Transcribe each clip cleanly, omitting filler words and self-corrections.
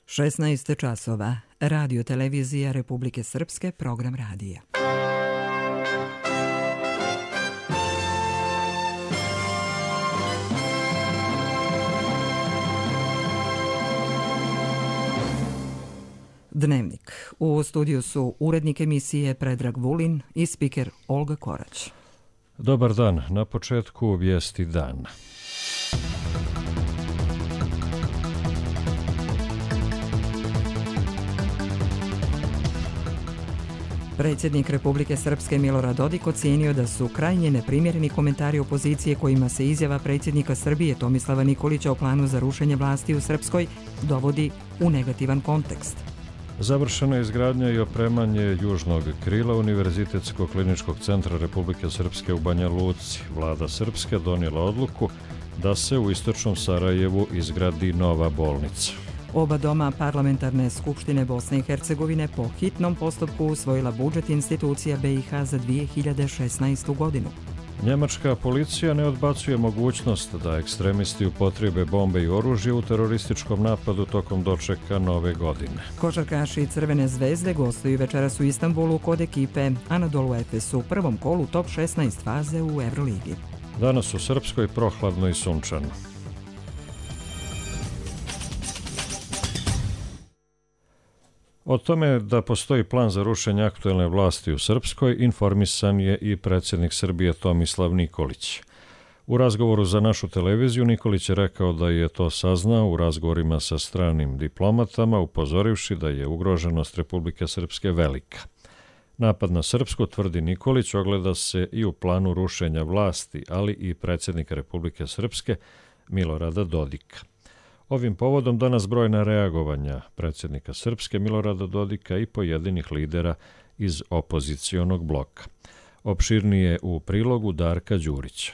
16 časova. Radio televizija Republike Srpske, program radija. Dnevnik. U studiju su urednik emisije Predrag Vulin i spiker Olga Korać. Dobar dan. Na početku vijesti dana. Predsjednik Republike Srpske Milorad Dodik ocijenio da su krajnje neprimjereni komentari opozicije kojima se izjava predsjednika Srbije Tomislava Nikolića o planu za rušenje vlasti u Srpskoj dovodi u negativan kontekst. Završena je izgradnja i opremanje južnog krila Univerzitetskog kliničkog centra Republike Srpske u Banja Luci. Vlada Srpske donijela odluku da se u istočnom Sarajevu izgradi nova bolnica. Oba doma parlamentarne skupštine Bosne i Hercegovine po hitnom postupku usvojila budžet institucija BiH za 2016. godinu. Njemačka policija ne odbacuje mogućnost da ekstremisti upotrijebe bombe i oružje u terorističkom napadu tokom dočeka nove godine. Košarkaši Crvene zvezde gostuju večeras u Istanbulu kod ekipe Anadolu Efes u prvom kolu top 16 faze u Euroligi. Danas u Srpskoj prohladno i sunčano. O tome da postoji plan za rušenje aktuelne vlasti u Srpskoj informisan je i predsjednik Srbije Tomislav Nikolić. U razgovoru za našu televiziju Nikolić je rekao da je to saznao u razgovorima sa stranim diplomatama, upozorivši da je ugroženost Republike Srpske velika. Napad na Srpsku, tvrdi Nikolić, ogleda se i u planu rušenja vlasti, ali i predsjednika Republike Srpske Milorada Dodika. Ovim povodom danas brojna reagovanja predsjednika Srpske Milorada Dodika i pojedinih lidera iz opozicionog bloka. Opširnije u prilogu Darka Đurića.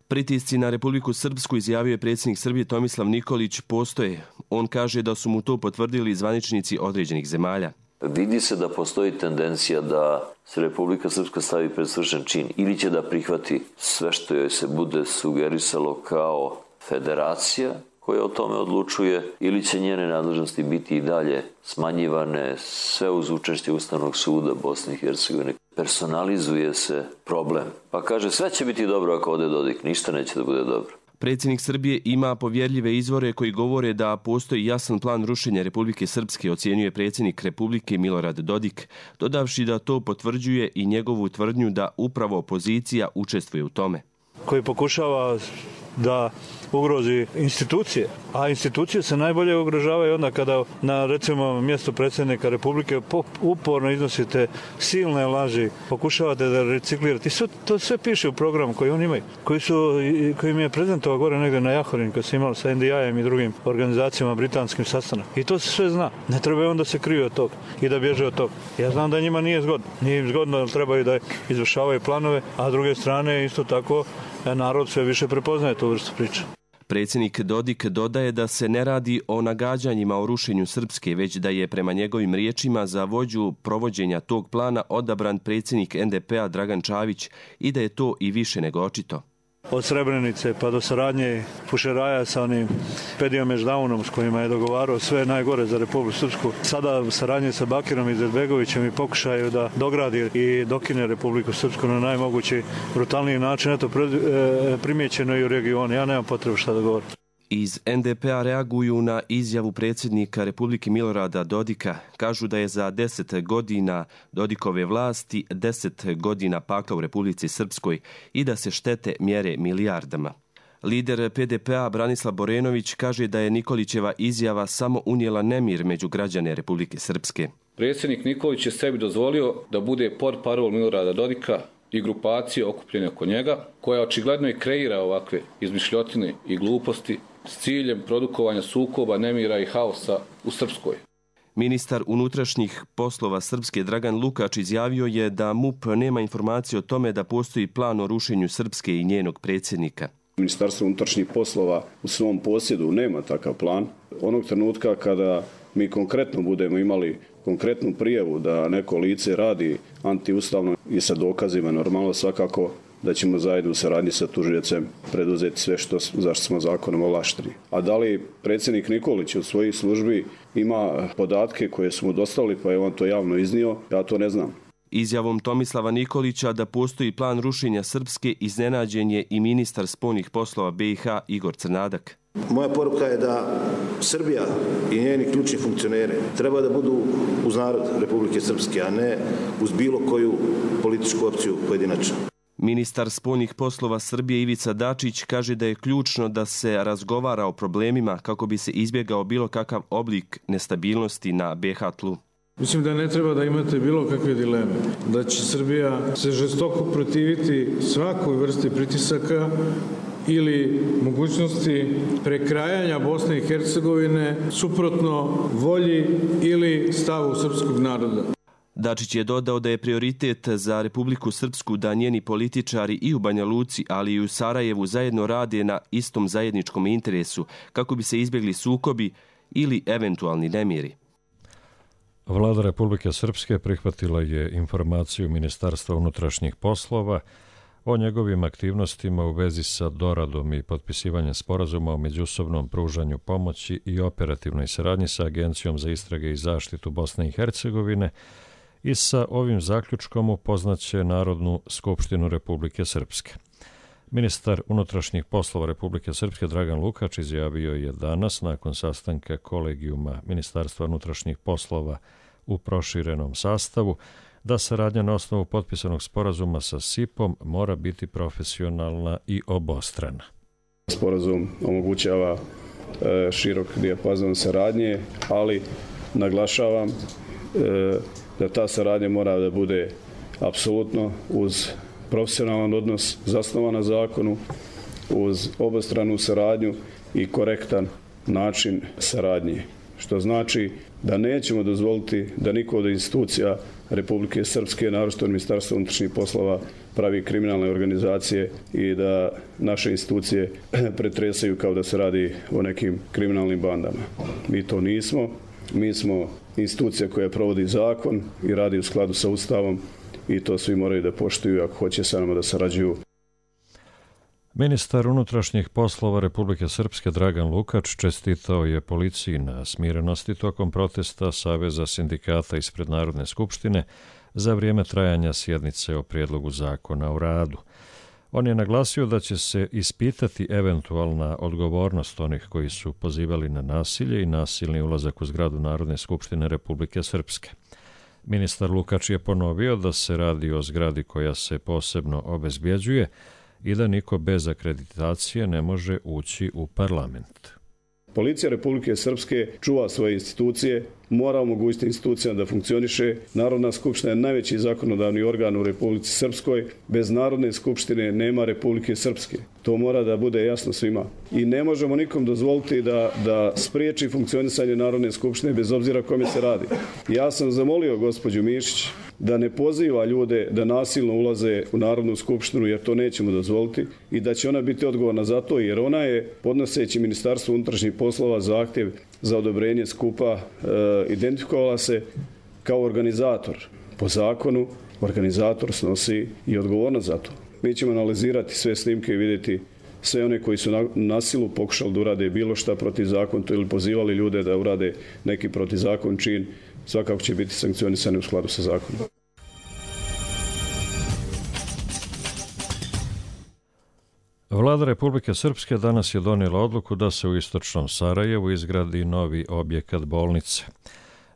Pritisci na Republiku Srpsku, izjavio je predsjednik Srbije Tomislav Nikolić, postoje. On kaže da su mu to potvrdili zvaničnici određenih zemalja. Vidi se da postoji tendencija da se Republika Srpska stavi pred svršen čin ili će da prihvati sve što joj se bude sugerisalo kao federacija koja o tome odlučuje, ili će njene nadležnosti biti i dalje smanjivane, sve uz učešće Ustavnog suda Bosne i Hercegovine. Personalizuje se problem. Pa kaže, sve će biti dobro ako ode Dodik, ništa neće da bude dobro. Predsjednik Srbije ima povjerljive izvore koji govore da postoji jasan plan rušenja Republike Srpske, ocjenjuje predsjednik Republike Milorad Dodik, dodavši da to potvrđuje i njegovu tvrdnju da upravo opozicija učestvuje u tome. Koji pokušava da ugrozi institucije, a institucije se najbolje ugrožavaju onda kada na, recimo, mjesto predsjednika Republike uporno iznosite silne laži, pokušavate da reciklirate. To sve piše u programu koji oni imaju, koji mi je prezentovao gore negdje na Jahorin, kad se imali sa NDI-em i drugim organizacijama britanskim sastanak. I to se sve zna. Ne treba onda se kriju od toga i da bježe od toga. Ja znam da njima nije zgodno. Nije im zgodno da trebaju da izvršavaju planove, a s druge strane isto tako narod sve više prepoznaje tu vrstu priče. Predsjednik Dodik dodaje da se ne radi o nagađanjima o rušenju Srpske, već da je prema njegovim riječima za vođu provođenja tog plana odabran predsjednik NDP-a Dragan Čavić i da je to i više nego očito. Od Srebrenice pa do saradnje Fušeraja sa onim Pedijom Meždaunom s kojima je dogovarao sve najgore za Republiku Srpsku. Sada saradnje sa Bakirom i Izetbegovićem i pokušaju da dogradi i dokine Republiku Srpsku na najmogući brutalniji način. Eto, primjećeno i u regionu. Ja nemam potrebu šta da govorim. Iz NDP-a reaguju na izjavu predsjednika Republike Milorada Dodika. Kažu da je za 10 godina Dodikove vlasti 10 godina pakla u Republici Srpskoj i da se štete mjere milijardama. Lider PDP-a Branislav Borenović kaže da je Nikolićeva izjava samo unijela nemir među građane Republike Srpske. Predsjednik Nikolić je sebi dozvolio da bude portparol Milorada Dodika i grupacije okupljene oko njega, koja očigledno i kreira ovakve izmišljotine i gluposti s ciljem produkovanja sukoba, nemira i haosa u Srpskoj. Ministar unutrašnjih poslova Srpske Dragan Lukač izjavio je da MUP nema informacije o tome da postoji plan o rušenju Srpske i njenog predsjednika. Ministarstvo unutrašnjih poslova u svom posjedu nema takav plan. Onog trenutka kada mi konkretno budemo imali konkretnu prijavu da neko lice radi antiustavno i sa dokazima, normalno svakako da ćemo zajedno u saradnji sa tužiocem preduzeti sve zašto smo zakonom ovlašteni. A da li predsjednik Nikolić od svojih službi ima podatke koje su mu dostavili, pa je on to javno iznio, ja to ne znam. Izjavom Tomislava Nikolića da postoji plan rušenja Srpske iznenađen je i ministar spoljnih poslova BiH Igor Crnadak. Moja poruka je da Srbija i njeni ključni funkcioneri treba da budu uz narod Republike Srpske, a ne uz bilo koju političku opciju pojedinačno. Ministar spoljnih poslova Srbije Ivica Dačić kaže da je ključno da se razgovara o problemima kako bi se izbjegao bilo kakav oblik nestabilnosti na BiH tlu. Mislim da ne treba da imate bilo kakve dileme, da će Srbija se žestoko protiviti svakoj vrsti pritisaka ili mogućnosti prekrajanja Bosne i Hercegovine suprotno volji ili stavu srpskog naroda. Dačić je dodao da je prioritet za Republiku Srpsku da njeni političari i u Banja Luci, ali i u Sarajevu zajedno rade na istom zajedničkom interesu kako bi se izbjegli sukobi ili eventualni nemiri. Vlada Republike Srpske prihvatila je informaciju Ministarstva unutrašnjih poslova o njegovim aktivnostima u vezi sa doradom i potpisivanjem sporazuma o međusobnom pružanju pomoći i operativnoj saradnji sa Agencijom za istrage i zaštitu Bosne i Hercegovine i sa ovim zaključkom upoznaće Narodnu skupštinu Republike Srpske. Ministar unutrašnjih poslova Republike Srpske Dragan Lukač izjavio je danas nakon sastanka kolegijuma Ministarstva unutrašnjih poslova u proširenom sastavu da saradnja na osnovu potpisanog sporazuma sa SIP-om mora biti profesionalna i obostrana. Sporazum omogućava širok dijapazon saradnje, ali naglašavam da ta saradnja mora da bude apsolutno uz profesionalan odnos zasnovan na zakonu, uz obostranu saradnju i korektan način saradnje. Što znači da nećemo dozvoliti da niko od institucija Republike Srpske, naročito Ministarstva unutrašnjih poslova, pravi kriminalne organizacije i da naše institucije pretresaju kao da se radi o nekim kriminalnim bandama. Mi to nismo. Mi smo institucija koja provodi zakon i radi u skladu sa Ustavom i to svi moraju da poštuju ako hoće sa nama da sarađuju. Ministar unutrašnjih poslova Republike Srpske Dragan Lukač čestitao je policiji na smirenosti tokom protesta Saveza sindikata ispred Narodne skupštine za vrijeme trajanja sjednice o prijedlogu zakona o radu. On je naglasio da će se ispitati eventualna odgovornost onih koji su pozivali na nasilje i nasilni ulazak u zgradu Narodne skupštine Republike Srpske. Ministar Lukač je ponovio da se radi o zgradi koja se posebno obezbjeđuje i da niko bez akreditacije ne može ući u parlament. Policija Republike Srpske čuva svoje institucije, mora omogućiti institucijama da funkcioniše. Narodna skupština je najveći zakonodavni organ u Republici Srpskoj. Bez Narodne skupštine nema Republike Srpske. To mora da bude jasno svima. I ne možemo nikom dozvoliti da spriječi funkcionisanje Narodne skupštine bez obzira kome se radi. Ja sam zamolio gospođu Mišić da ne poziva ljude da nasilno ulaze u Narodnu skupštinu, jer to nećemo dozvoliti i da će ona biti odgovorna za to, jer ona je, podnoseći Ministarstvu unutrašnjih poslova zahtjev za odobrenje skupa, identifikovala se kao organizator. Po zakonu, organizator snosi i odgovornost za to. Mi ćemo analizirati sve snimke i vidjeti sve one koji su na silu pokušali da urade bilo šta protivzakonito ili pozivali ljude da urade neki protivzakon čin, svakako će biti sankcionisani u skladu sa zakonom. Vlada Republike Srpske danas je donijela odluku da se u istočnom Sarajevu izgradi novi objekat bolnice.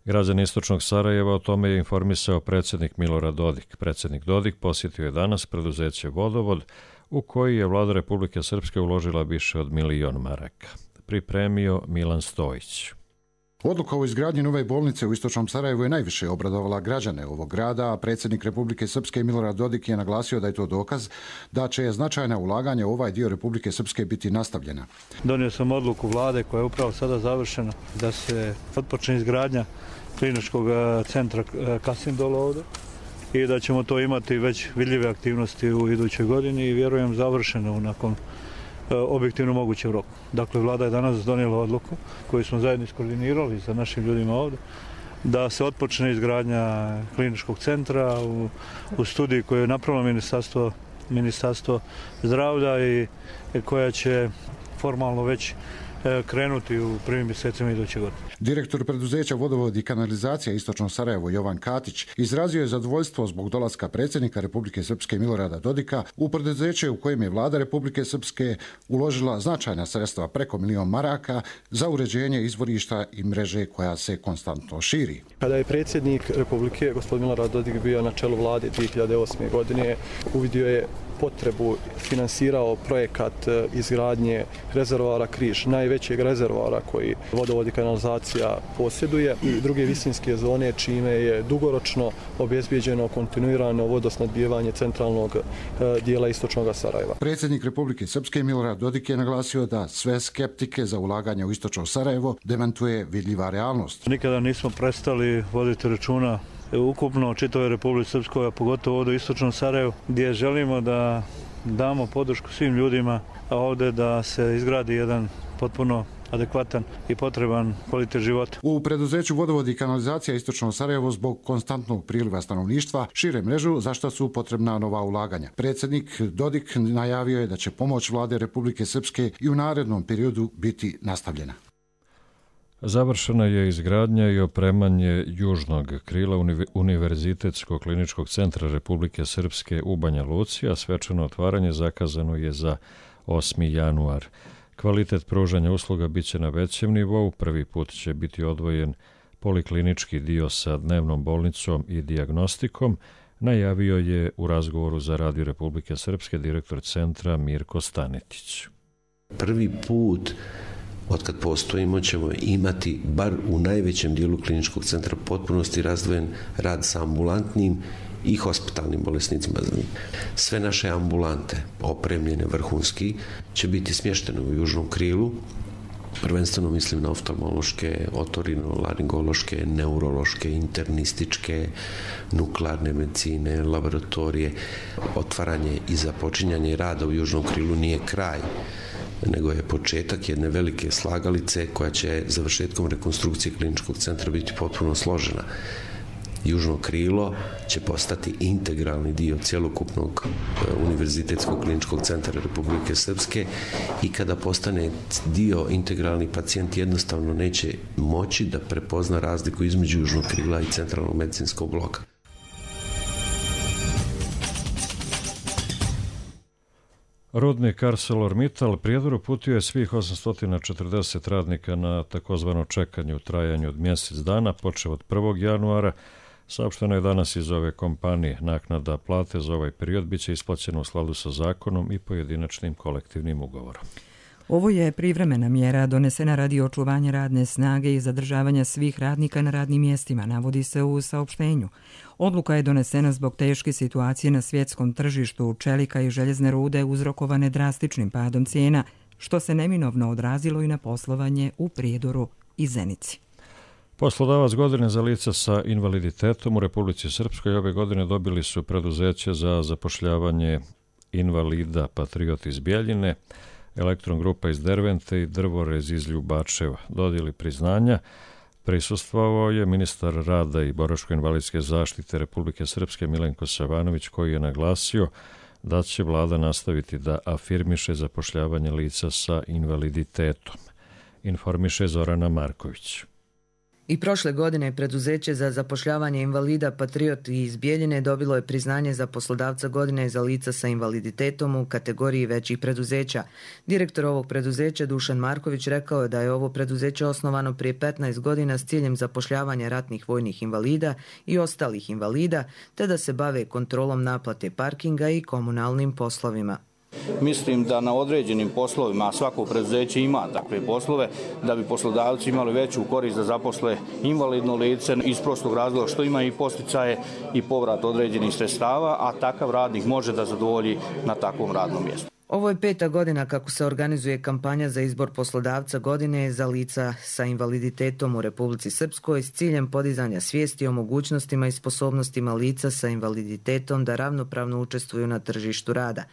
Građani istočnog Sarajeva o tome je informisao predsjednik Milorad Dodik. Predsjednik Dodik posjetio je danas preduzeće Vodovod, u koji je Vlada Republike Srpske uložila više od 1.000.000 maraka. Pripremio Milan Stojić. Odluka o izgradnji nove bolnice u istočnom Sarajevu je najviše obradovala građane ovog grada, a predsjednik Republike Srpske Milorad Dodik je naglasio da je to dokaz da će značajna ulaganja u ovaj dio Republike Srpske biti nastavljena. Donio sam odluku vlade koja je upravo sada završena da se otpočne izgradnja kliničkog centra Kasim Dolo ovdje i da ćemo to imati već vidljive aktivnosti u idućoj godini i vjerujem završeno nakon objektivno mogućem roku. Dakle, vlada je danas donijela odluku koju smo zajedno iskoordinirali sa našim ljudima ovdje da se otpočne izgradnja kliničkog centra u studiji koju je napravilo Ministarstvo Ministarstvo zdravlja i koja će formalno već krenuti u prvim mjesecima iduće godine. Direktor preduzeća Vodovod i kanalizacija Istočno Sarajevo Jovan Katić izrazio je zadovoljstvo zbog dolaska predsjednika Republike Srpske Milorada Dodika u preduzeće u kojem je vlada Republike Srpske uložila značajna sredstva preko 1 milion maraka za uređenje izvorišta i mreže koja se konstantno širi. Kada je predsjednik Republike gospodin Milorad Dodik bio na čelu vlade 2008. godine, uvidio je potrebu, finansirao projekat izgradnje rezervoara Križ, najvećeg rezervoara koji Vodovod i kanalizacija posjeduje, i druge visinske zone, čime je dugoročno obezbijeđeno kontinuirano vodosnabdijevanje centralnog dijela istočnog Sarajeva. Predsjednik Republike Srpske Milorad Dodik je naglasio da sve skeptike za ulaganje u istočno Sarajevo demantuje vidljiva realnost. Nikada nismo prestali voditi računa ukupno čitavoj Republici Srpskoj, a pogotovo ovdje u istočnom Sarajevu, gdje želimo da damo podršku svim ljudima, a ovdje da se izgradi jedan potpuno adekvatan i potreban kvalitet života. U preduzeću Vodovod i kanalizacija Istočno Sarajevo zbog konstantnog priliva stanovništva šire mrežu, za što su potrebna nova ulaganja. Predsjednik Dodik najavio je da će pomoć vlade Republike Srpske i u narednom periodu biti nastavljena. Završena je izgradnja i opremanje južnog krila Univerzitetskog kliničkog centra Republike Srpske u Banja Luci, a svečano otvaranje zakazano je za 8. januar. Kvalitet pružanja usluga biće na većem nivou, prvi put će biti odvojen poliklinički dio sa dnevnom bolnicom i dijagnostikom, najavio je u razgovoru za Radio Republike Srpske direktor centra Mirko Stanetić. Prvi put otkad postojimo ćemo imati, bar u najvećem dijelu kliničkog centra, potpunosti razdvojen rad sa ambulantnim i hospitalnim bolesnicima. Sve naše ambulante, opremljene vrhunski, će biti smještene u južnom krilu. Prvenstveno mislim na oftalmološke, otorinolaringološke, neurološke, internističke, nuklearne medicine, laboratorije. Otvaranje i započinjanje rada u južnom krilu nije kraj, nego je početak jedne velike slagalice koja će završetkom rekonstrukcije kliničkog centra biti potpuno složena. Južno krilo će postati integralni dio cjelokupnog Univerzitetskog kliničkog centra Republike Srpske i kada postane dio integralni, pacijent jednostavno neće moći da prepozna razliku između južnog krila i centralnog medicinskog bloka. Rudnik ArcelorMittal Prijedor uputio je svih 840 radnika na takozvano čekanje u trajanju od mjesec dana, počeo od 1. januara. Saopšteno je danas iz ove kompanije. Naknada plate za ovaj period biće isplaćena u skladu sa zakonom i pojedinačnim kolektivnim ugovorom. Ovo je privremena mjera donesena radi očuvanja radne snage i zadržavanja svih radnika na radnim mjestima, navodi se u saopštenju. Odluka je donesena zbog teške situacije na svjetskom tržištu čelika i željezne rude uzrokovane drastičnim padom cijena, što se neminovno odrazilo i na poslovanje u Prijedoru i Zenici. Poslodavac godine za lica sa invaliditetom u Republici Srpskoj ove godine dobili su preduzeće za zapošljavanje invalida Patriot iz Bjeljine, Elektron Grupa iz Dervente i Drvorez iz Ljubačeva. Dodjeli priznanja prisustvovao je ministar rada i boračko-invalidske zaštite Republike Srpske Milenko Savanović, koji je naglasio da će vlada nastaviti da afirmiše zapošljavanje lica sa invaliditetom. Informiše Zorana Marković. I prošle godine preduzeće za zapošljavanje invalida Patriot iz Bjeljine dobilo je priznanje za poslodavca godine za lica sa invaliditetom u kategoriji većih preduzeća. Direktor ovog preduzeća Dušan Marković rekao je da je ovo preduzeće osnovano prije 15 godina s ciljem zapošljavanja ratnih vojnih invalida i ostalih invalida, te da se bave kontrolom naplate parkinga i komunalnim poslovima. Mislim da na određenim poslovima, a svako preduzeće ima takve poslove, da bi poslodavci imali veću korist da zaposle invalidno lice iz prostog razloga što ima i posticaje i povrat određenih sredstava, a takav radnik može da zadovolji na takvom radnom mjestu. Ovo je 5. godina kako se organizuje kampanja za izbor poslodavca godine za lica sa invaliditetom u Republici Srpskoj s ciljem podizanja svijesti o mogućnostima i sposobnostima lica sa invaliditetom da ravnopravno učestvuju na tržištu rada.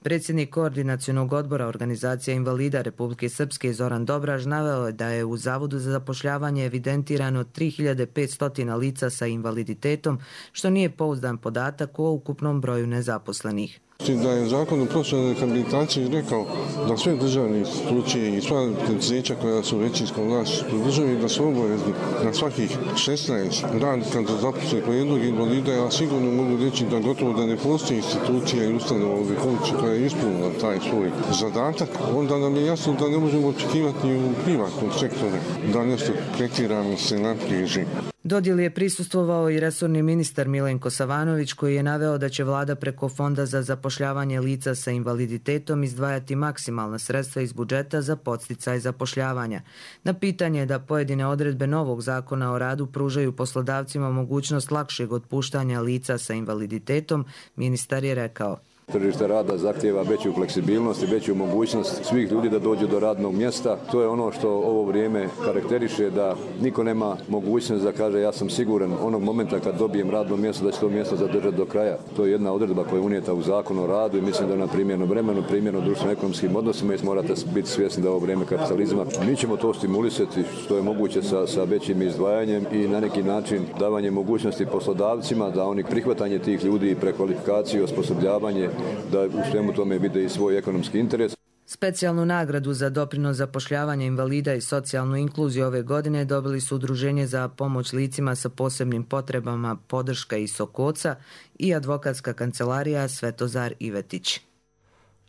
Predsjednik Koordinacionog odbora Organizacija invalida Republike Srpske Zoran Dobraž naveo je da je u Zavodu za zapošljavanje evidentirano 3500 lica sa invaliditetom, što nije pouzdan podatak o ukupnom broju nezaposlenih. Da je zakon o profesionalnoj rehabilitaciji rekao da sve državne institucije i sva preduzeća koja su većinskom vlasništvu državi da su obavezni na svakih 16 radnika da zaposle po jednog invalida, ja sigurno mogu reći da gotovo da ne postoji institucija i ustanova u Republici koja je ispunila taj svoj zadatak, onda nam je jasno da ne možemo očekivati u privatnom sektoru da nešto tretiramo se napriježi. Dodjeli je prisustvovao i resorni ministar Milenko Savanović, koji je naveo da će vlada preko Fonda za zapošljavanje lica sa invaliditetom izdvajati maksimalna sredstva iz budžeta za podsticaj zapošljavanja. Na pitanje da pojedine odredbe novog zakona o radu pružaju poslodavcima mogućnost lakšeg otpuštanja lica sa invaliditetom, ministar je rekao: Tržište rada zahtijeva veću fleksibilnost i veću mogućnost svih ljudi da dođu do radnog mjesta. To je ono što ovo vrijeme karakteriše, da niko nema mogućnost da kaže ja sam siguran onog momenta kad dobijem radno mjesto da će to mjesto zadržati do kraja. To je jedna odredba koja je unijeta u Zakon o radu i mislim da na primjerno vremenu, primjerno društveno-ekonomskim odnosima i morate biti svjesni da ovo vrijeme kapitalizma. Mi ćemo to stimulisati što je moguće sa većim izdvajanjem i na neki način davanje mogućnosti poslodavcima da oni prihvatanje tih ljudi, prekvalifikaciju, osposobljavanje, da u svemu tome vide i svoj ekonomski interes. Specijalnu nagradu za doprinos zapošljavanja invalida i socijalnu inkluziju ove godine dobili su Udruženje za pomoć licima sa posebnim potrebama Podrška iz Sokoca i advokatska kancelarija Svetozar Ivetić.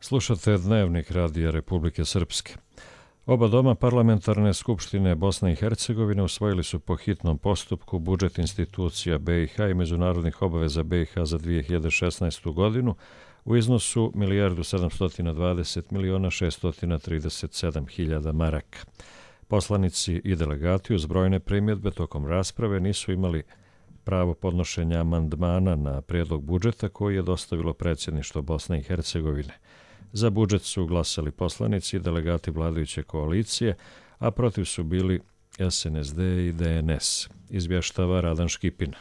Slušate Dnevnik Radija Republike Srpske. Oba doma parlamentarne skupštine Bosne i Hercegovine usvojili su po hitnom postupku budžet institucija BiH i međunarodnih obaveza BiH za 2016. godinu u iznosu 1.720.637.000 maraka. Poslanici i delegati uz brojne primjedbe tokom rasprave nisu imali pravo podnošenja amandmana na prijedlog budžeta koji je dostavilo predsjedništvo Bosne i Hercegovine. Za budžet su glasali poslanici i delegati vladajuće koalicije, a protiv su bili SNSD i DNS. Izvještava Radan Škipina.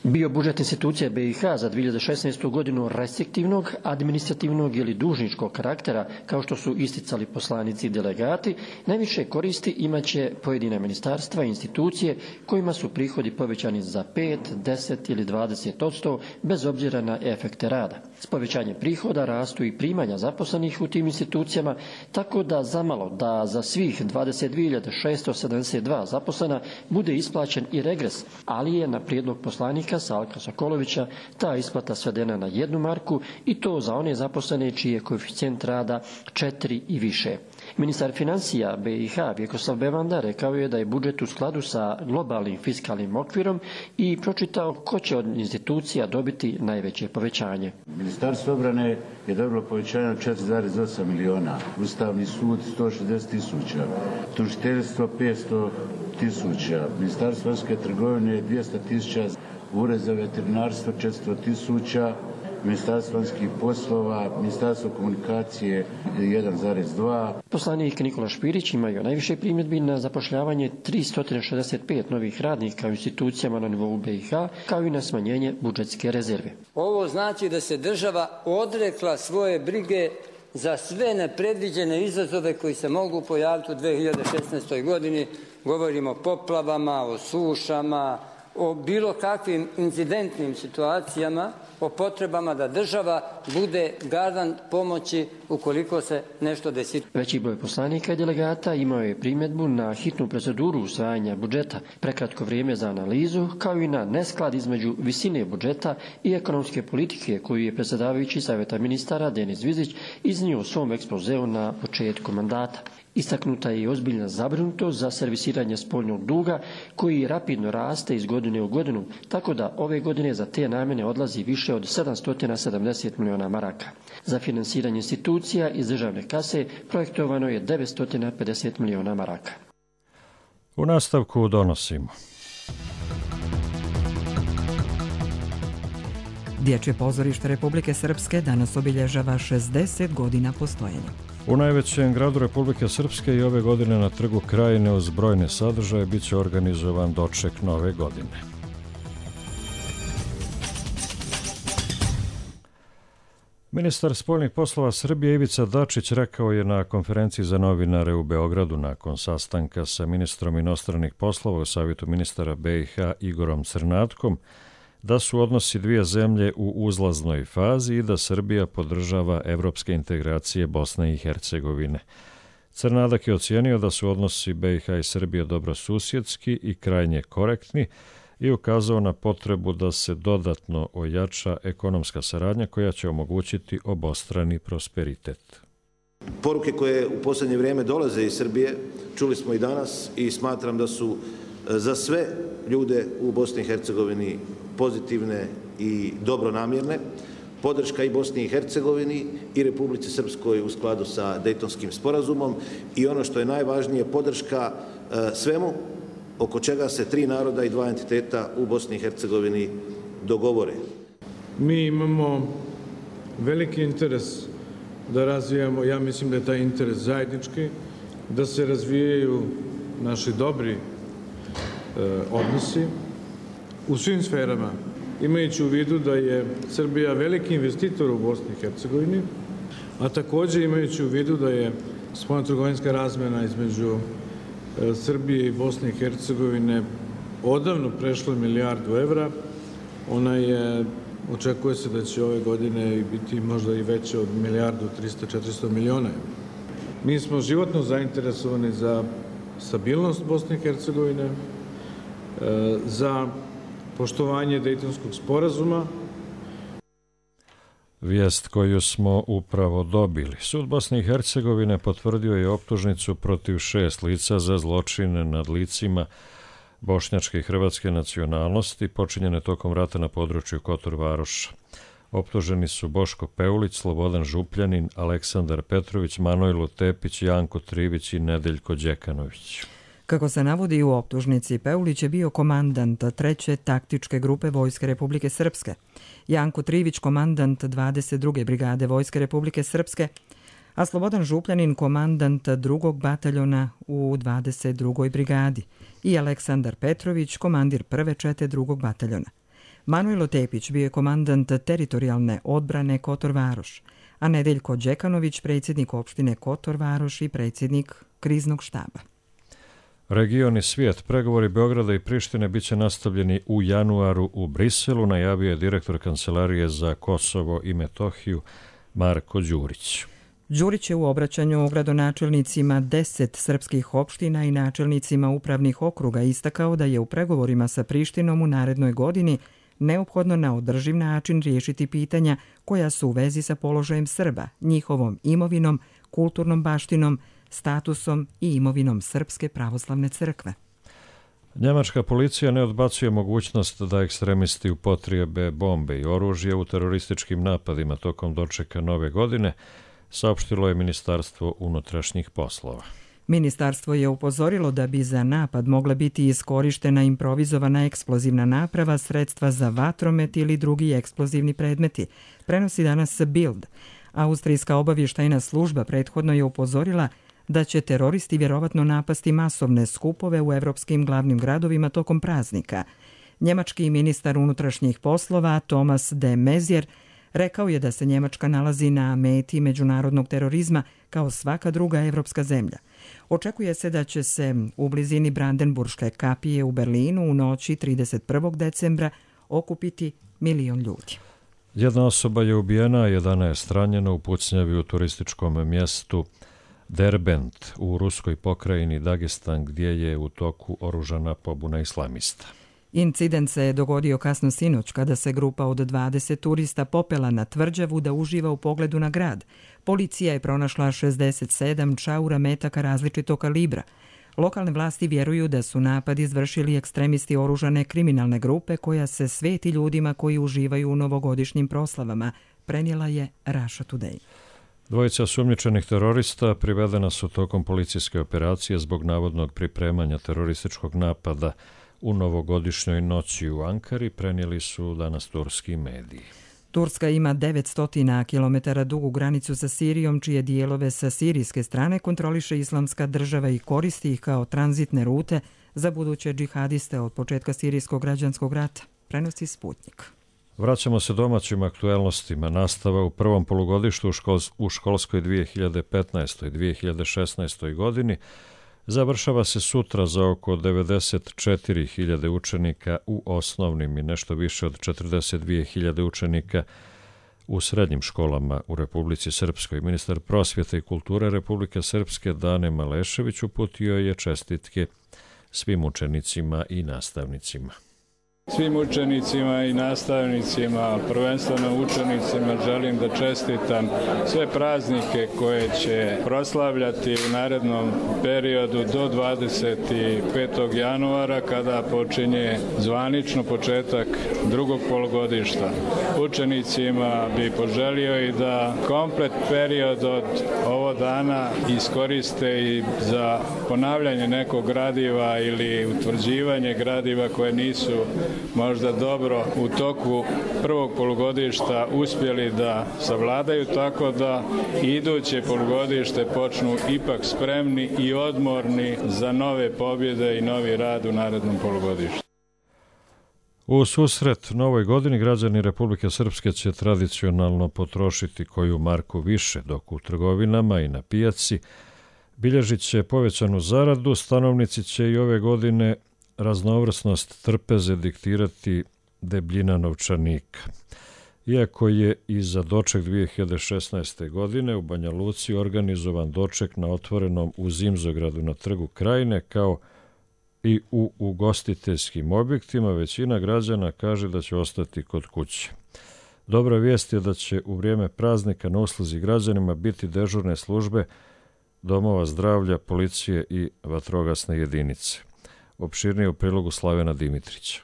Bio budžet institucije BiH za 2016. godinu restriktivnog, administrativnog ili dužničkog karaktera, kao što su isticali poslanici i delegati, najviše koristi imaće pojedina ministarstva i institucije kojima su prihodi povećani za 5, 10 ili 20% bez obzira na efekte rada. S povećanjem prihoda rastu i primanja zaposlenih u tim institucijama, tako da zamalo da za svih 22.672 zaposlena bude isplaćen i regres, ali je na prijedlog poslanika Salka Sokolovića ta isplata svedena na 1 marku i to za one zaposlene čiji je koeficijent rada 4 i više. Ministar financija BiH Vjekoslav Bevanda rekao je da je budžet u skladu sa globalnim fiskalnim okvirom i pročitao ko će od institucija dobiti najveće povećanje. Ministarstvo obrane je dobilo povećanje od 4,8 miliona, Ustavni sud 160.000, tužiteljstvo 500.000, Ministarstvo vanjske trgovine 200.000, Ured za veterinarstvo 400.000, Ministarstvo vanjskih poslova, Ministarstvo komunikacije 1,2. Poslanik Nikola Špirić imaju najviše primjedbi na zapošljavanje 365 novih radnika u institucijama na nivou BiH, kao i na smanjenje budžetske rezerve. Ovo znači da se država odrekla svoje brige za sve nepredviđene izazove koji se mogu pojaviti u 2016. godini. Govorimo o poplavama, o sušama, o bilo kakvim incidentnim situacijama, o potrebama da država bude garant pomoći ukoliko se nešto desi. Veći broj poslanika i delegata imao je primjedbu na hitnu proceduru usvajanja budžeta, prekratko vrijeme za analizu, kao i na nesklad između visine budžeta i ekonomske politike koju je predsjedavajući Savjeta ministara Denis Vizić iznio u svom ekspozeu na početku mandata. Istaknuta je i ozbiljna zabrinutost za servisiranje spoljnog duga koji rapidno raste iz godine u godinu, tako da ove godine za te namjene odlazi više od 770 miliona maraka. Za finansiranje institucija iz državne kase projektovano je 950 miliona maraka. U nastavku donosimo. Dječje pozorište Republike Srpske danas obilježava 60 godina postojanja. U najvećem gradu Republike Srpske i ove godine na Trgu Krajine uz brojne sadržaje bit će organizovan doček nove godine. Ministar spoljnih poslova Srbije Ivica Dačić rekao je na konferenciji za novinare u Beogradu nakon sastanka sa ministrom inostranih poslova u Savjetu ministara BiH Igorom Crnatkom da su odnosi dvije zemlje u uzlaznoj fazi i da Srbija podržava evropske integracije Bosne i Hercegovine. Crnadak je ocijenio da su odnosi BiH i Srbije dobrosusjedski i krajnje korektni i ukazao na potrebu da se dodatno ojača ekonomska saradnja koja će omogućiti obostrani prosperitet. Poruke koje u posljednje vrijeme dolaze iz Srbije, čuli smo i danas i smatram da su za sve ljude u Bosni i Hercegovini pozitivne i dobronamjerne. Podrška i Bosni i Hercegovini i Republici Srpskoj u skladu sa Dejtonskim sporazumom i ono što je najvažnije, podrška svemu oko čega se tri naroda i dva entiteta u Bosni i Hercegovini dogovore. Mi imamo veliki interes da razvijamo, ja mislim da je taj interes zajednički, da se razvijaju naši dobri odnosi u svim sferama, imajući u vidu da je Srbija veliki investitor u Bosni i Hercegovini, a također imajući u vidu da je spoljnotrgovinska razmjena između Srbije i Bosne i Hercegovine odavno prešla milijardu evra. Očekuje se da će ove godine biti možda i veće od milijardu 300-400 miliona evra. Mi smo životno zainteresovani za stabilnost Bosne i Hercegovine, za poštovanje Dejtonskog sporazuma. Vijest koju smo upravo dobili. Sud Bosne i Hercegovine potvrdio je optužnicu protiv 6 lica za zločine nad licima bošnjačke i hrvatske nacionalnosti počinjene tokom rata na području Kotor Varoša. Optuženi su Boško Peulić, Slobodan Župljanin, Aleksandar Petrović, Manojlo Tepić, Janko Trivić i Nedeljko Đekanović. Kako se navodi u optužnici, Peulić je bio komandant 3. taktičke grupe Vojske Republike Srpske, Janko Trivić komandant 22. brigade Vojske Republike Srpske, a Slobodan Župljanin komandant 2. bataljona u 22. brigadi i Aleksandar Petrović komandir 1. čete 2. bataljona. Manojlo Tepić bio je komandant teritorijalne odbrane Kotor Varoš, a Nedeljko Đekanović predsjednik opštine Kotor Varoš i predsjednik kriznog štaba. Region i svijet, pregovori Beograda i Prištine biće nastavljeni u januaru u Briselu, najavio je direktor Kancelarije za Kosovo i Metohiju Marko Đurić. Đurić je u obraćanju gradonačelnicima 10 srpskih opština i načelnicima upravnih okruga istakao da je u pregovorima sa Prištinom u narednoj godini neophodno na održiv način riješiti pitanja koja su u vezi sa položajem Srba, njihovom imovinom, kulturnom baštinom, statusom i imovinom Srpske pravoslavne crkve. Njemačka policija ne odbacuje mogućnost da ekstremisti upotrijebe bombe i oružje u terorističkim napadima tokom dočeka nove godine, saopštilo je Ministarstvo unutrašnjih poslova. Ministarstvo je upozorilo da bi za napad mogla biti iskorištena improvizovana eksplozivna naprava, sredstva za vatromet ili drugi eksplozivni predmeti, prenosi danas Bild. Austrijska obavještajna služba prethodno je upozorila da će teroristi vjerovatno napasti masovne skupove u evropskim glavnim gradovima tokom praznika. Njemački ministar unutrašnjih poslova Thomas de Maizière rekao je da se Njemačka nalazi na meti međunarodnog terorizma kao svaka druga evropska zemlja. Očekuje se da će se u blizini Brandenburške kapije u Berlinu u noći 31. decembra okupiti 1 milion ljudi. Jedna osoba je ubijena, a 11 ranjeno u pucnjavi u turističkom mjestu Derbent u ruskoj pokrajini Dagestan, gdje je u toku oružana pobuna islamista. Incident se je dogodio kasno sinoć kada se grupa od 20 turista popela na tvrđavu da uživa u pogledu na grad. Policija je pronašla 67 čaura metaka različitog kalibra. Lokalne vlasti vjeruju da su napad izvršili ekstremisti oružane kriminalne grupe koja se sveti ljudima koji uživaju u novogodišnjim proslavama, prenijela je Russia Today. Dvojica sumnjičenih terorista privedena su tokom policijske operacije zbog navodnog pripremanja terorističkog napada u novogodišnjoj noći u Ankari, prenijeli su danas turski mediji. Turska ima 900 km dugu granicu sa Sirijom, čije dijelove sa sirijske strane kontroliše Islamska država i koristi ih kao tranzitne rute za buduće džihadiste od početka sirijskog građanskog rata, prenosi Sputnik. Vraćamo se domaćim aktuelnostima. Nastava u prvom polugodištu u školskoj 2015. 2016. godini završava se sutra za oko 94.000 učenika u osnovnim i nešto više od 42.000 učenika u srednjim školama u Republici Srpskoj. Ministar prosvjete i kulture Republike Srpske Dane Malešević uputio je čestitke svim učenicima i nastavnicima. Svim učenicima i nastavnicima, prvenstveno učenicima, želim da čestitam sve praznike koje će proslavljati u narednom periodu do 25. januara kada počinje zvanično početak drugog polugodišta. Učenicima bi poželio i da komplet period od ovo dana iskoriste i za ponavljanje nekog gradiva ili utvrđivanje gradiva koje nisu možda dobro u toku prvog polugodišta uspjeli da savladaju, tako da iduće polugodište počnu ipak spremni i odmorni za nove pobjede i novi rad u narednom polugodištu. U susret novoj godini građani Republike Srpske će tradicionalno potrošiti koju marku više, dok u trgovinama i na pijaci bilježit će povećanu zaradu. Stanovnici će i ove godine raznovrsnost trpeze diktirati debljina novčanika. Iako je i za doček 2016. godine u Banja Luci organizovan doček na otvorenom u Zimzogradu na Trgu Krajine, kao i u ugostiteljskim objektima, većina građana kaže da će ostati kod kuće. Dobra vijest je da će u vrijeme praznika na usluzi građanima biti dežurne službe domova zdravlja, policije i vatrogasne jedinice. Opširnije u prilogu Slavena Dimitrića.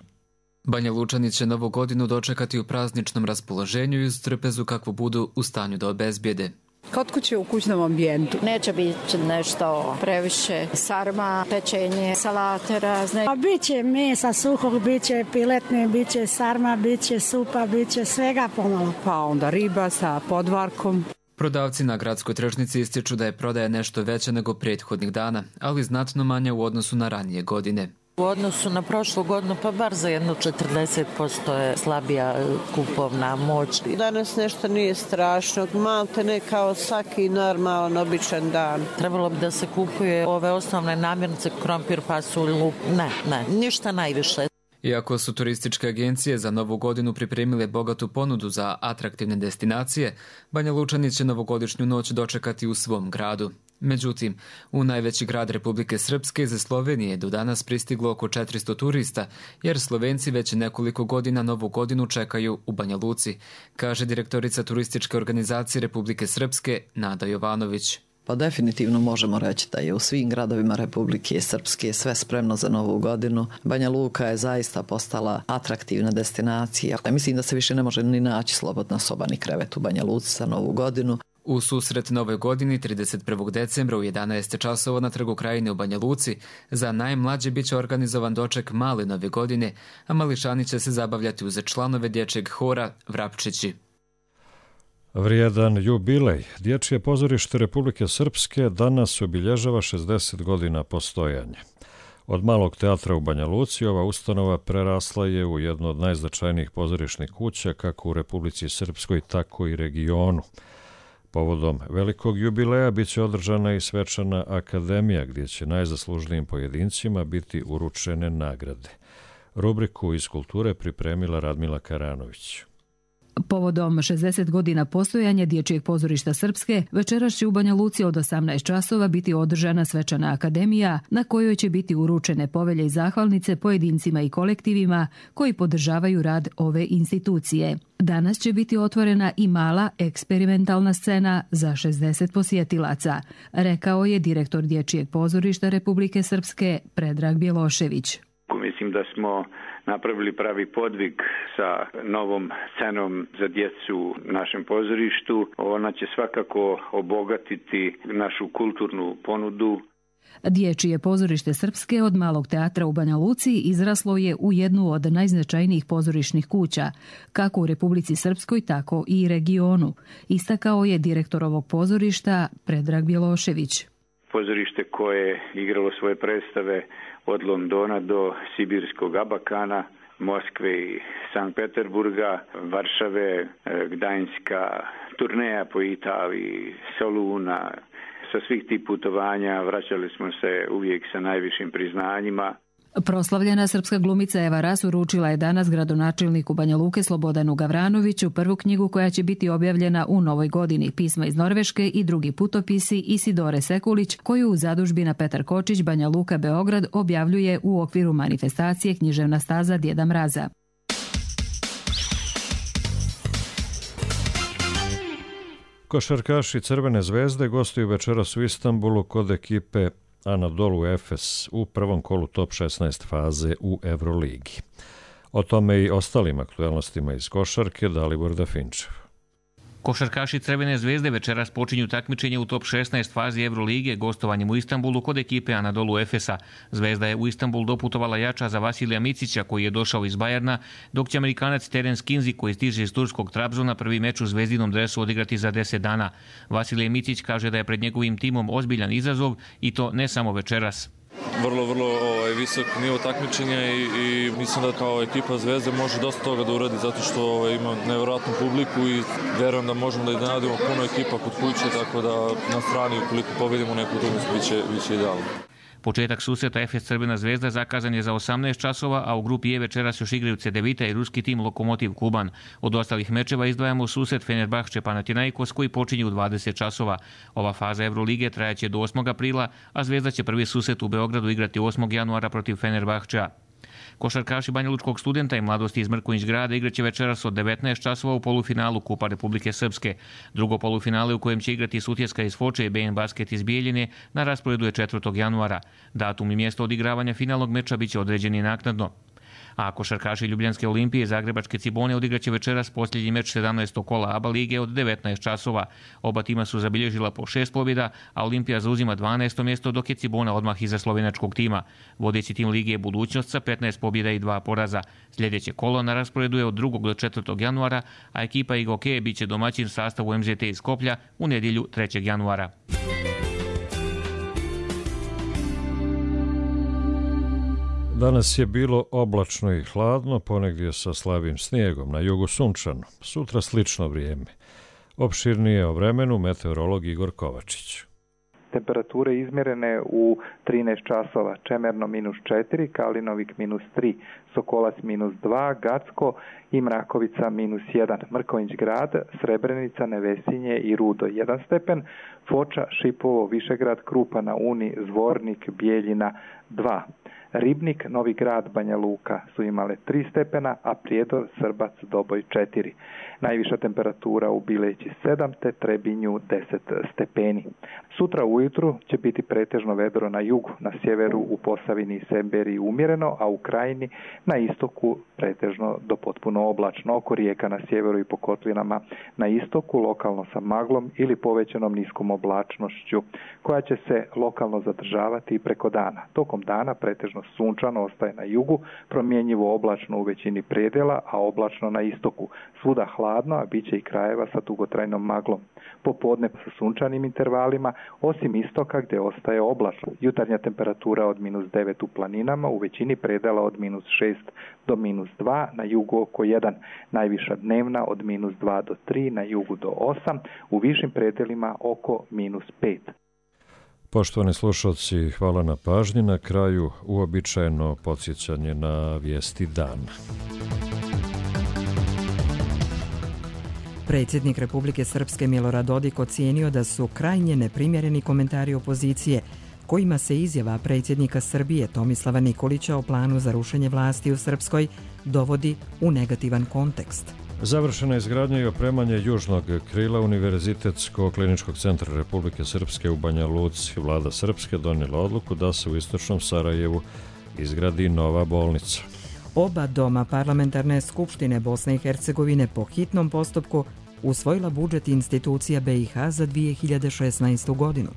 Banja Lučani će novu godinu dočekati u prazničnom raspoloženju i uz trpezu kakvu budu u stanju da obezbijede. Kod kuće u kućnom ambijentu. Neće biti nešto previše sarma, pečenje, salate razne. A biće mesa suhog, biće piletne, biće sarma, biće supa, biće svega pomalo. Pa onda riba sa podvarkom. Prodavci na gradskoj tržnici ističu da je prodaja nešto veća nego prethodnih dana, ali znatno manja u odnosu na ranije godine. U odnosu na prošlu godinu pa bar za jedno 40% je slabija kupovna moć. Danas nešto nije strašno, malte ne kao svaki normalan, običan dan. Trebalo bi da se kupuje ove osnovne namirnice, krompir, pasulj, luk. Ne, ništa najviše. Iako su turističke agencije za novu godinu pripremile bogatu ponudu za atraktivne destinacije, Banja Lučani će novogodišnju noć dočekati u svom gradu. Međutim, u najveći grad Republike Srpske iz Slovenije do danas pristiglo oko 400 turista, jer Slovenci već nekoliko godina novu godinu čekaju u Banja Luci, kaže direktorica turističke organizacije Republike Srpske Nada Jovanović. Pa definitivno možemo reći da je u svim gradovima Republike Srpske sve spremno za novu godinu. Banja Luka je zaista postala atraktivna destinacija. Mislim da se više ne može ni naći slobodna soba ni krevet u Banja Luci za novu godinu. U susret nove godini 31. decembra u 11 časova na Trgu Krajine u Banja Luci za najmlađe biće organizovan doček male nove godine, a mališani će se zabavljati uz članove dječjeg hora Vrapčići. Vrijedan jubilej. Dječje pozorište Republike Srpske danas obilježava 60 godina postojanja. Od malog teatra u Banja Luci ova ustanova prerasla je u jednu od najznačajnijih pozorišnih kuća kako u Republici Srpskoj, tako i regionu. Povodom velikog jubileja biće održana i svečana akademija gdje će najzaslužnijim pojedincima biti uručene nagrade. Rubriku iz kulture pripremila Radmila Karanović. Povodom 60 godina postojanja Dječjeg pozorišta Srpske, večeras će u Banja Luci od 18 časova biti održana svečana akademija na kojoj će biti uručene povelje i zahvalnice pojedincima i kolektivima koji podržavaju rad ove institucije. Danas će biti otvorena i mala eksperimentalna scena za 60 posjetilaca, rekao je direktor Dječjeg pozorišta Republike Srpske Predrag Bjelošević. Mislim da smo napravili pravi podvig sa novom scenom za djecu u našem pozorištu. Ona će svakako obogatiti našu kulturnu ponudu. Dječje pozorište Srpske od malog teatra u Banja Luci izraslo je u jednu od najznačajnijih pozorišnih kuća, kako u Republici Srpskoj, tako i regionu, istakao je direktor ovog pozorišta Predrag Bjelošević. Pozorište koje je igralo svoje predstave od Londona do Sibirskog Abakana, Moskve i Sankt Peterburga, Varšave, Gdańska, turneja po Italiji, Soluna, Sa svih tih putovanja vraćali smo se uvijek sa najvišim priznanjima. Proslavljena srpska glumica Eva Ras uručila je danas gradonačelniku Banja Luke Slobodanu Gavranoviću prvu knjigu koja će biti objavljena u novoj godini, Pisma iz Norveške i drugi putopisi Isidore Sekulić, koju u zadužbina Petar Kočić Banja Luka Beograd objavljuje u okviru manifestacije Književna staza Djeda Mraza. Košarkaši Crvene zvezde gostuju večeras u Istanbulu kod ekipe Anadolu Efes u prvom kolu top 16 faze u Euroligi. O tome i ostalim aktualnostima iz košarke Dalibor Dafinčev. Košarkaši Crvene zvezde večeras počinju takmičenje u top 16 fazi Evrolige gostovanjem u Istanbulu kod ekipe Anadolu Efesa. Zvezda je u Istanbul doputovala jača za Vasilija Micića koji je došao iz Bajerna, dok će Amerikanac Terence Kinsey koji stiže iz turskog Trabzona prvi meč u zvezdinom dresu odigrati za 10 dana. Vasilije Micić kaže da je pred njegovim timom ozbiljan izazov i to ne samo večeras. Vrlo visok nivo takmičenja i mislim da kao ekipa Zvezde može dosta toga da uradi zato što ima nevjerojatnu publiku i vjerujem da možemo da iznenadimo puno ekipa kod kuće, tako da na strani ukoliko pobedimo neku utakmicu biće idealno. Početak susreta Efes Crvena zvezda zakazan je za 18 časova, a u grupi E večeras još igraju Cedevita i ruski tim Lokomotiv Kuban. Od ostalih mečeva izdvajamo susret Fenerbahče Panathinaikos koji počinje u 20 časova. Ova faza Evrolige trajaće do 8. aprila, a Zvezda će prvi susret u Beogradu igrati 8. januara protiv Fenerbahčea. Košarkaši Banjalučkog studenta i mladosti iz Mrkonjić grada igraće večeras od 19 časova u polufinalu Kupa Republike Srpske. Drugo polufinale u kojem će igrati Sutjeska iz Foče i BN Basket iz Bijeljine na rasporedu je 4. januara. Datum i mjesto odigravanja finalnog meča biće određeni naknadno. A košarkaši Ljubljanske Olimpije i Zagrebačke Cibone odigraće večeras posljednji meč 17. kola ABA lige od 19 časova. Oba tima su zabilježila po 6 pobjeda, a Olimpija zauzima 12. mjesto dok je Cibona odmah iza slovenačkog tima. Vodeći tim lige je Budućnost sa 15 pobjeda i 2 poraza. Sljedeće kolo na rasporedu je od 2. do 4. januara, a ekipa Igoke biće domaćin sastavu MZT iz Skoplja u nedjelju 3. januara. Danas je bilo oblačno i hladno, ponegdje sa slabim snijegom, na jugu sunčano. Sutra slično vrijeme. Opširnije o vremenu meteorolog Igor Kovačić. Temperature izmjerene u 13 časova, Čemerno -4, Kalinovik -3, Sokolac -2, Gacko i Mrakovica -1, Mrkonjić grad, Srebrenica, Nevesinje i Rudo 1 stepen, Foča, Šipovo, Višegrad, Krupa na Uni, Zvornik, Bijeljina 2. Ribnik, Novi grad, Banja Luka su imale 3 stepena, a Prijedor, Srbac, Doboj 4. Najviša temperatura u Bileći 7, te Trebinju 10 stepeni. Sutra ujutru će biti pretežno vedro na jugu, na sjeveru u Posavini i Semberiji umjereno, a u Krajini na istoku pretežno do potpuno oblačno. Oko rijeka na sjeveru i po kotlinama na istoku lokalno sa maglom ili povećanom niskom oblačnošću, koja će se lokalno zadržavati i preko dana. Tokom dana pretežno sunčano ostaje na jugu, promjenjivo oblačno u većini predjela, a oblačno na istoku. Svuda hladno, a bit će i krajeva sa dugotrajnom maglom. Popodne sa sunčanim intervalima, osim istoka gdje ostaje oblačno. Jutarnja temperatura od -9 u planinama, u većini predjela od -6 do -2, na jugu oko 1. Najviša dnevna od -2 do 3, na jugu do 8, u višim predjelima oko -5. Poštovani slušalci, hvala na pažnji. Na kraju uobičajeno podsjećanje na vijesti dana. Predsjednik Republike Srpske Milorad Dodik ocijenio da su krajnje neprimjereni komentari opozicije kojima se izjava predsjednika Srbije Tomislava Nikolića o planu za rušenje vlasti u Srpskoj dovodi u negativan kontekst. Završena je izgradnja i opremanje južnog krila Univerzitetskog kliničkog centra Republike Srpske u Banja Luci. Vlada Srpske donijela odluku da se u istočnom Sarajevu izgradi nova bolnica. Oba doma parlamentarne skupštine Bosne i Hercegovine po hitnom postupku usvojila budžet institucija BiH za 2016. godinu.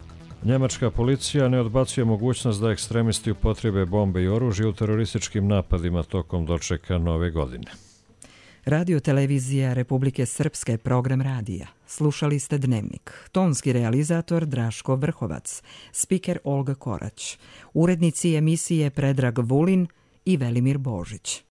Njemačka policija ne odbacuje mogućnost da ekstremisti upotrebe bombe i oružje u terorističkim napadima tokom dočeka nove godine. Radio televizija Republike Srpske, program radija. Slušali ste Dnevnik. Tonski realizator Draško Vrhovac, spiker Olga Korać, urednici emisije Predrag Vulin i Velimir Božić.